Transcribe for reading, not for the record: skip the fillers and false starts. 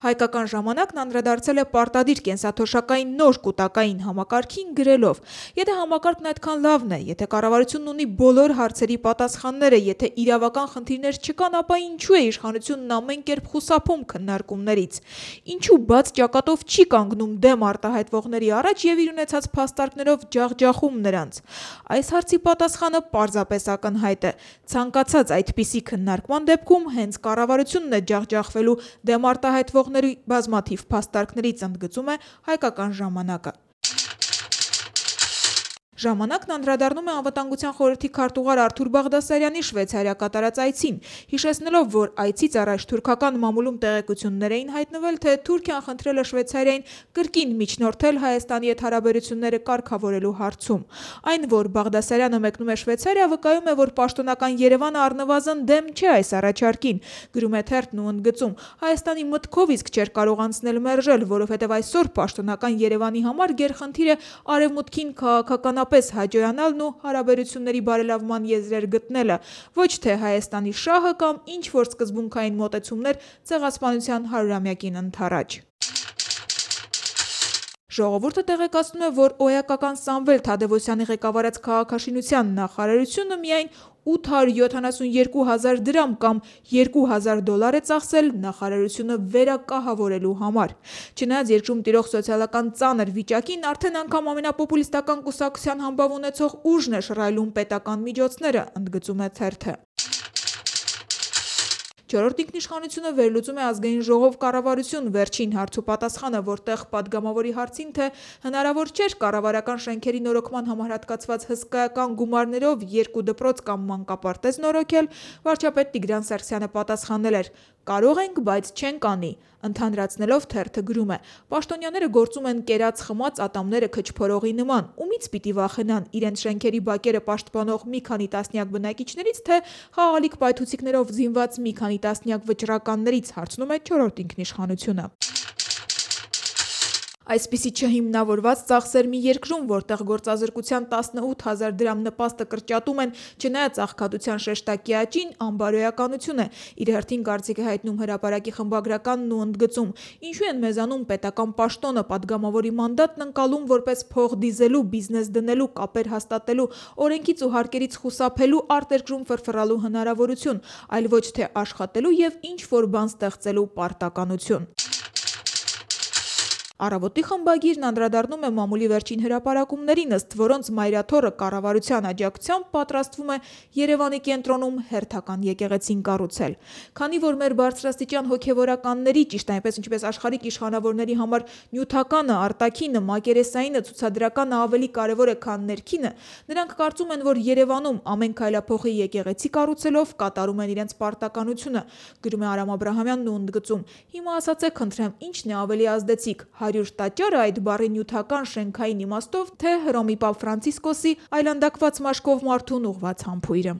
Հայկական ժամանակն անդրադարձել է պարտադիր կենսաթոշակային նոր կուտակային համակարգին գրելով. եթե համակարգն այդքան լավն է, եթե կառավարությունն ունի բոլոր հարցերի պատասխանները, եթե իրավական խնդիրներ չկան, ապա ինչու է իշխանությունն ամեն կերպ խուսափում քննարկումներից, ինչու բաց ճակատով չի կանգնում դեմ արտահայտվողների առաջ եւ իր ունեցած փաստարկներով ջախջախում նրանց։ Այս հարցի պատասխանը պարզապես ակնհայտ է։ Ցանկացած այդպիսի քննարկման դեպքում հենց կառավարությունն է ջախջախվելու դեմ արտահայտվող բազմաթիվ փաստարկներից, ընդգծում է Հայկական ժամանակը։ Ժամանակն անդրադառնում է Անվտանգության խորհրդի քարտուղար Արթուր Բաղդասարյանի Շվեյցարիա կատարած այցին, հիշեցնելով, որ այցից առաջ թուրքական մամուլում տեղեկություններ էին հայտնվել, թե Թուրքիան խնդրել է Շվեյցարիային կրկին միջնորդել Հայաստանի հետ հարաբերությունները կարգավորելու հարցում։ Այն, որ Բաղդասարյանը մեկնում է Շվեյցարիա, վկայում է, որ պաշտոնական Երևանը առնվազն դեմ չէ այս առաջարկին, գրում է թերթն ու ընդգծում. Հայաստանի մտքով իսկ չէր կարող անցնել մերժել, որովհետև այսօր պաշտոնական Երևանի համար գերխնդիր է արևմուտքին քաղաքականապես հաջողանալն ու հարաբերությունների բարելավման եզրեր գտնելը, ոչ թե Հայաստանի շահը կամ ինչ-որ սկզբունքային մոտեցումներ ցեղասպանության 100-ամյակին ընդառաջ։ Ժողովուրդը տեղեկացնում է, որ օյակական Սամվել Թադևոսյանի ղեկավարած քաղաքաշինության նախարարությունը միայն 872 հազար դրամ կամ $2000 է ծախսել նախարարությունը վերակահավորելու համար։ Չնայած երկրում տիրող սոցիալական ծանր վիճակին, արդեն անգամ ամենապոպուլիստական կուսակցության համբավ ունեցող ուժն է շռայլում պետական միջոցները, ընդգծում է թերթը։ Չորրորդ ինքնիշխանությունը վերլուծում է Ազգային ժողով կառավարություն վերջին հարցու պատասխանը, որտեղ պատգամավորի հարցին, թե հնարավոր չէր կառավարական շենքերի նորոգման համար հատկացված հսկայական գումարներով 2 դպրոց կամ մանկապարտեզ նորոգել, վարչապետ Տիգրան Սարգսյանը պատասխանել էր. «Կարող ենք, բայց չենք անի», ընդհանրացնելով թերթը գրում է. «Պաշտոնյաները գործում են կերած խմած ատամները քչփորողի նման, ումից պիտի վախենան, իրենց շենքերի բակերը պաշտպանող մի քանի տասնյակ բնակիչներից, թե խաղալիք պայթուցիկներով զինված մի քանի տասնյակ վճռականներից», հարցնում է չորրորդ ինքնիշխանությունը։ Այսպիսի չհիմնավորված ծախսեր մի երկրում, որտեղ գործազրկության 18 հազար դրամ նպաստը կրճատում են, չնայած աղքատության շեշտակի աճին, անբարոյականություն է, իր հերթին կարծիք է հայտնում Հրապարակի խմբագրականն ու ընդգծում. ինչու են մեզանում պետական պաշտոնը, պատգամավորի մանդատն ընկալում որպես փող դիզելու, բիզնես դնելու, կապեր հաստատելու, օրենքից ու հարկերից խուսափելու, արտերկրում ֆրֆռալու հնարավորություն, այլ ոչ թե աշխատելու եւ ինչ-որ բան ստեղծելու պարտականություն։ Առավոտի խմբագիրն անդրադառնում է մամուլի վերջին հրապարակումներին, ըստ որոնց Մայրաթոռը կառավարության աջակցությամբ պատրաստվում է Երևանի կենտրոնում հերթական եկեղեցին կառուցել։ Քանի որ մեր բարձրաստիճան հոգևորականների, ճիշտ այնպես ինչպես աշխարհիկ իշխանավորների համար նյութականը, արտաքինը, մակերեսայինը, ցուցադրականը ավելի կարևոր է, քան ներքինը, նրանք կարծում են, որ Երևանում ամեն քայլափոխի եկեղեցի կառուցելով կատարում են իրենց պարտականությունը, գրում է Արամ Աբրահամյանն ու ընդգծում. հիմա ասացեք խնդրեմ, ի՞նչն է ավելի ազդեցիկ, 100 տաճարը այդ բառի նյութական շենքային իմաստով, թե Հռոմի Պապ Ֆրանցիսկոսի այլանդակված մաշկով մարդուն ուղղված համբույրը։